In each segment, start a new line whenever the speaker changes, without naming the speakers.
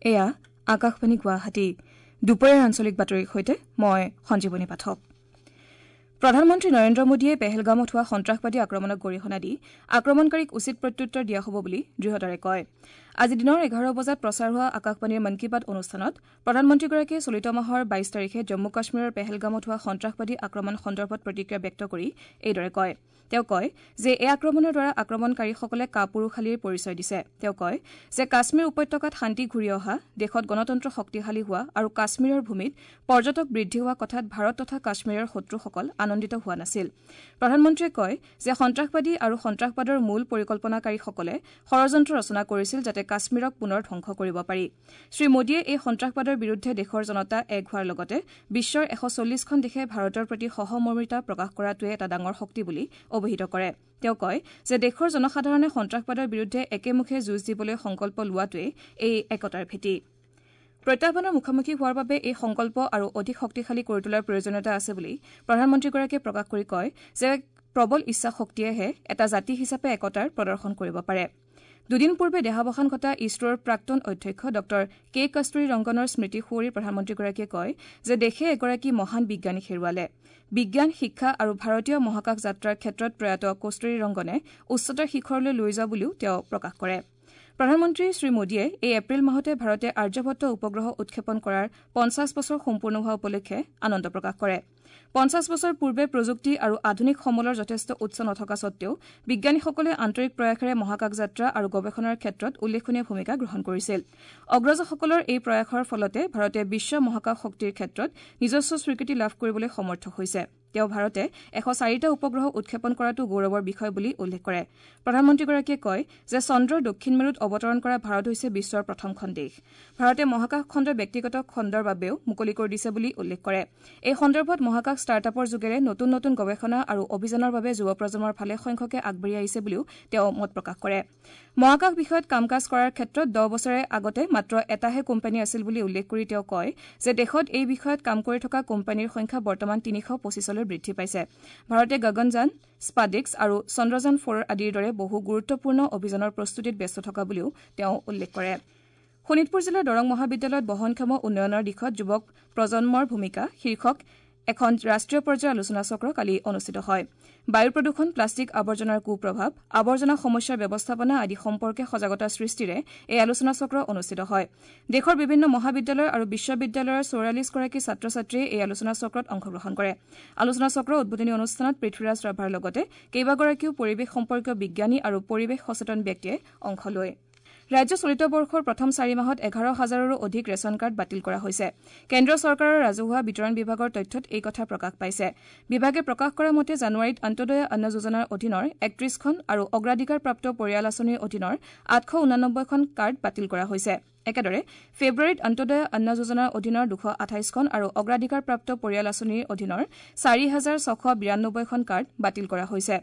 এয়া আকাশবাণী গুৱাহাটী। দুপৰীয়াৰ আঞ্চলিক বাতৰিৰ সৈতে মই সঞ্জীৱনী পাঠক। প্ৰধানমন্ত্ৰী নৰেন্দ্ৰ মোদীয়ে পেহেলগামত হোৱা সন্ত্ৰাসবাদী আক্ৰমণক গৰিহণা দি আক্ৰমণকাৰীক উচিত প্ৰত্যুত্তৰ দিয়া হ'ব বুলি দৃঢ়তাৰে কয়। আজি দিনৰ ১১ বজাত প্ৰচাৰ হোৱা আকাশবাণীৰ মন কী বাত অনুষ্ঠানত প্ৰধানমন্ত্ৰীগৰাকীয়ে চলিত মাহৰ ২২ তাৰিখে জম্মু কাশ্মীৰৰ পেহেলগামত হোৱা সন্ত্ৰাসবাদী আক্ৰমণ সন্দৰ্ভত প্ৰতিক্ৰিয়া ব্যক্ত কৰি এইদৰে কয়। তেওঁ কয় যে এই আক্ৰমণৰ দ্বাৰা আক্ৰমণকাৰীসকলে কাপুৰুষালিৰ পৰিচয় দিছে। তেওঁ কয় যে কাশ্মীৰ উপত্যকাত শান্তি ঘূৰি অহা, দেশত গণতন্ত্ৰ শক্তিশালী হোৱা আৰু কাশ্মীৰৰ ভূমিত পৰ্যটক বৃদ্ধি হোৱা কথাত ভাৰত তথা কাশ্মীৰৰ শত্ৰুসকল আনন্দিত হোৱা নাছিল। প্ৰধানমন্ত্ৰীয়ে কয় যে সন্ত্ৰাসবাদী আৰু সন্ত্ৰাসবাদৰ মূল পৰিকল্পনাকাৰীসকলে ষড়যন্ত্ৰ ৰচনা কৰিছিল যাতে কাশ্মীৰক পুনৰ ধ্বংস কৰিব পাৰি। শ্ৰীমোদীয়ে এই সন্ত্ৰাসবাদৰ বিৰুদ্ধে দেশৰ জনতা এক হোৱাৰ লগতে বিশ্বৰ ১৪০খন দেশে ভাৰতৰ প্ৰতি সহমৰ্মিতা প্ৰকাশ কৰাটোৱে এটা ডাঙৰ শক্তি বুলি অভিহিত কৰে। তেওঁ কয় যে দেশৰ জনসাধাৰণে সন্ত্ৰাসবাদৰ বিৰুদ্ধে একেমুখে যুঁজ দিবলৈ সংকল্প লোৱাটোৱেই এই একতাৰ ভেটি। প্ৰত্যাহ্বানৰ মুখামুখি হোৱাৰ বাবে এই সংকল্প আৰু অধিক শক্তিশালী কৰি তোলাৰ প্ৰয়োজনীয়তা আছে বুলি প্ৰধানমন্ত্ৰীগৰাকীয়ে প্ৰকাশ কৰি কয় যে প্ৰবল ইচ্ছাশক্তিয়েহে এটা জাতি হিচাপে একতাৰ প্ৰদৰ্শন কৰিব পাৰে। দুদিন পূৰ্বে দেহাৱসান ঘটা ইছৰোৰ প্ৰাক্তন অধ্যক্ষ ডঃ কে কস্তুৰী ৰংগনৰ স্মৃতি সুঁৱৰি প্ৰধানমন্ত্ৰীগৰাকীয়ে কয় যে দেশে এগৰাকী মহান বিজ্ঞানীক হেৰুৱালে। বিজ্ঞান, শিক্ষা আৰু ভাৰতীয় মহাকাশ যাত্ৰাৰ ক্ষেত্ৰত প্ৰয়াত কস্তুৰী ৰংগনে উচ্চতাৰ শিখৰলৈ লৈ যোৱা বুলিও তেওঁ প্ৰকাশ কৰে। প্ৰধানমন্ত্ৰী শ্ৰীমোদীয়ে এই এপ্ৰিল মাহতে ভাৰতে আৰ্যভট্ট উপগ্ৰহ উৎক্ষেপণ কৰাৰ ৫০ বছৰ সম্পূৰ্ণ হোৱা উপলক্ষে আনন্দ প্ৰকাশ কৰে। ৫০ বছৰ পূৰ্বে প্ৰযুক্তি আৰু আধুনিক সমলৰ যথেষ্ট উৎস নথকা সত্বেও বিজ্ঞানীসকলে আন্তৰিক প্ৰয়াসেৰে মহাকাশ যাত্ৰা আৰু গৱেষণাৰ ক্ষেত্ৰত উল্লেখনীয় ভূমিকা গ্ৰহণ কৰিছিল। অগ্ৰজসকলৰ এই প্ৰয়াসৰ ফলতে ভাৰতে বিশ্ব মহাকাশ শক্তিৰ ক্ষেত্ৰত নিজস্ব স্বীকৃতি লাভ কৰিবলৈ সমৰ্থ হৈছে। তেওঁ ভাৰতে ১০৪টা উপগ্ৰহ উৎক্ষেপণ কৰাটো গৌৰৱৰ বিষয় বুলি উল্লেখ কৰে। প্ৰধানমন্ত্ৰীগৰাকীয়ে কয় যে চন্দ্ৰৰ দক্ষিণ মেৰুত অৱতৰণ কৰা ভাৰত হৈছে বিশ্বৰ প্ৰথমখন দেশ। ভাৰতে মহাকাশ খণ্ড ব্যক্তিগত খণ্ডৰ বাবেও মুকলি কৰি দিছে বুলি উল্লেখ কৰে। এই সন্দৰ্ভত মহাকাশ ষ্টাৰ্টআপৰ যোগেৰে নতুন নতুন গৱেষণা আৰু অভিযানৰ বাবে যুৱ প্ৰজন্মৰ ভালে সংখ্যকে আগবাঢ়ি আহিছে বুলিও তেওঁ মত প্ৰকাশ কৰে। মহাকাশ বিষয়ত কাম কাজ কৰাৰ ক্ষেত্ৰত ১০ বছৰে আগতে মাত্ৰ এটাহে কোম্পানী আছিল বুলি উল্লেখ কৰি তেওঁ কয় যে দেশত এই বিষয়ত কাম কৰি থকা কোম্পানীৰ সংখ্যা বৰ্তমান ৩২৫লৈ বৃদ্ধি পাইছে। ভাৰতে গগনযান, স্পাডেক্স আৰু চন্দ্ৰযান ৪ আদিৰ দৰে বহু গুৰুত্বপূৰ্ণ অভিযানৰ প্ৰস্তুতিত ব্যস্ত থকা বুলিও তেওঁ উল্লেখ কৰে। শোণিতপুৰ জিলাৰ দৰং মহাবিদ্যালয়ত বহনক্ষম উন্নয়নৰ দিশত যুৱক প্ৰজন্মৰ ভূমিকা শীৰ্ষক এখন ৰাষ্ট্ৰীয় পৰ্যায়ৰ আলোচনা চক্ৰ কালি অনুষ্ঠিত হয়। বায়ু প্ৰদূষণ, প্লাষ্টিক আৱৰ্জনাৰ কুপ্ৰভাৱ, আৱৰ্জনা সমস্যাৰ ব্যৱস্থাপনা আদি সম্পৰ্কে সজাগতা সৃষ্টিৰে এই আলোচনা চক্ৰ অনুষ্ঠিত হয়। দেশৰ বিভিন্ন মহাবিদ্যালয় আৰু বিশ্ববিদ্যালয়ৰ ৪৪গৰাকী ছাত্ৰ ছাত্ৰীয়ে এই আলোচনা চক্ৰত অংশগ্ৰহণ কৰে। আলোচনা চক্ৰৰ উদ্বোধনী অনুষ্ঠানত পৃথ্বীৰাজ ৰাভাৰ লগতে কেইবাগৰাকীও পৰিৱেশ সম্পৰ্কীয় বিজ্ঞানী আৰু পৰিৱেশ সচেতন ব্যক্তিয়ে অংশ লয়। ৰাজ্য চলিত বৰ্ষৰ প্ৰথম ৪ মাহত ১১ হাজাৰৰো অধিক ৰেচন কাৰ্ড বাতিল কৰা হৈছে। কেন্দ্ৰীয় চৰকাৰৰ ৰাজহুৱা বিতৰণ বিভাগৰ তথ্যত এই কথা প্ৰকাশ পাইছে। বিভাগে প্ৰকাশ কৰা মতে জানুৱাৰীত অন্ত্যোদয় অন্ন যোজনাৰ অধীনৰ ৩১খন আৰু অগ্ৰাধিকাৰপ্ৰাপ্ত পৰিয়াল আঁচনিৰ অধীনৰ ৮৮৯খন কাৰ্ড বাতিল কৰা হৈছে। একেদৰে ফেব্ৰুৱাৰীত অন্ত্যোদয় অন্ন যোজনাৰ অধীনৰ ২২৮খন আৰু অগ্ৰাধিকাৰপ্ৰাপ্ত পৰিয়াল আঁচনিৰ অধীনৰ ৪৬৯২খন কাৰ্ড বাতিল কৰা হৈছে।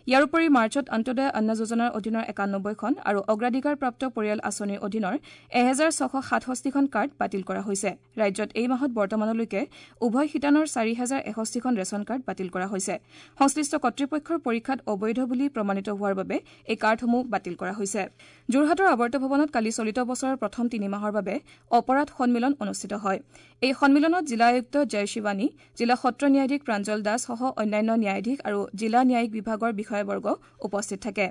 ইয়াৰ উপৰি মাৰ্চত অন্ত্যোদয় অন্ন যোজনাৰ অধীনৰ ৯১খন আৰু অগ্ৰাধিকাৰপ্ৰাপ্ত পৰিয়াল আঁচনিৰ অধীনৰ ১৬৬৭খন কাৰ্ড বাতিল কৰা হৈছে। ৰাজ্যত এই মাহত বৰ্তমানলৈকে উভয় শিতানৰ ৪০৬১খন ৰেচন কাৰ্ড বাতিল কৰা হৈছে। সংশ্লিষ্ট কৰ্তৃপক্ষৰ পৰীক্ষাত অবৈধ বুলি প্ৰমাণিত হোৱাৰ বাবে এই কাৰ্ডসমূহ বাতিল কৰা হৈছে। যোৰহাটৰ আৱৰ্ত ভৱনত কালি চলিত বছৰৰ প্ৰথম ৩ মাহৰ বাবে অপৰাধ সন্মিলন অনুষ্ঠিত হয়। এই সন্মিলনত জিলা আয়ুক্ত জয় শিৱানী, জিলা সত্ৰ ন্যায়াধীশ প্ৰাঞ্জল দাসসহ অন্যান্য ন্যায়াধীশ আৰু জিলা ন্যায়িক বিভাগৰ বিষয়াবৰ্গ উপস্থিত থাকে।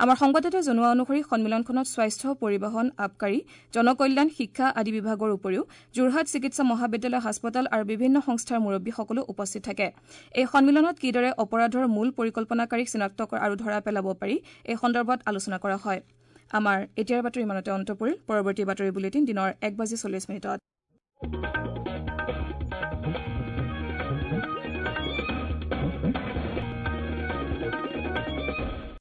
আমাৰ সংবাদদাতাই জনোৱা অনুসৰি সন্মিলনখনত স্বাস্থ্য, পৰিবহণ, আবকাৰী, জনকল্যাণ, শিক্ষা আদি বিভাগৰ উপৰিও যোৰহাট চিকিৎসা মহাবিদ্যালয় হাস্পতাল আৰু বিভিন্ন সংস্থাৰ মুৰব্বীসকলো উপস্থিত থাকে। এই সন্মিলনত কিদৰে অপৰাধৰ মূল পৰিকল্পনাকাৰীক চিনাক্ত আৰু ধৰা পেলাব পাৰি এই সন্দৰ্ভত আলোচনা কৰা হয়। আমাৰ এতিয়াৰ বাতৰি ইমানতে অন্ত পৰিল। পৰৱৰ্তী বাতৰি বুলেটিন দিনৰ ১:৪০।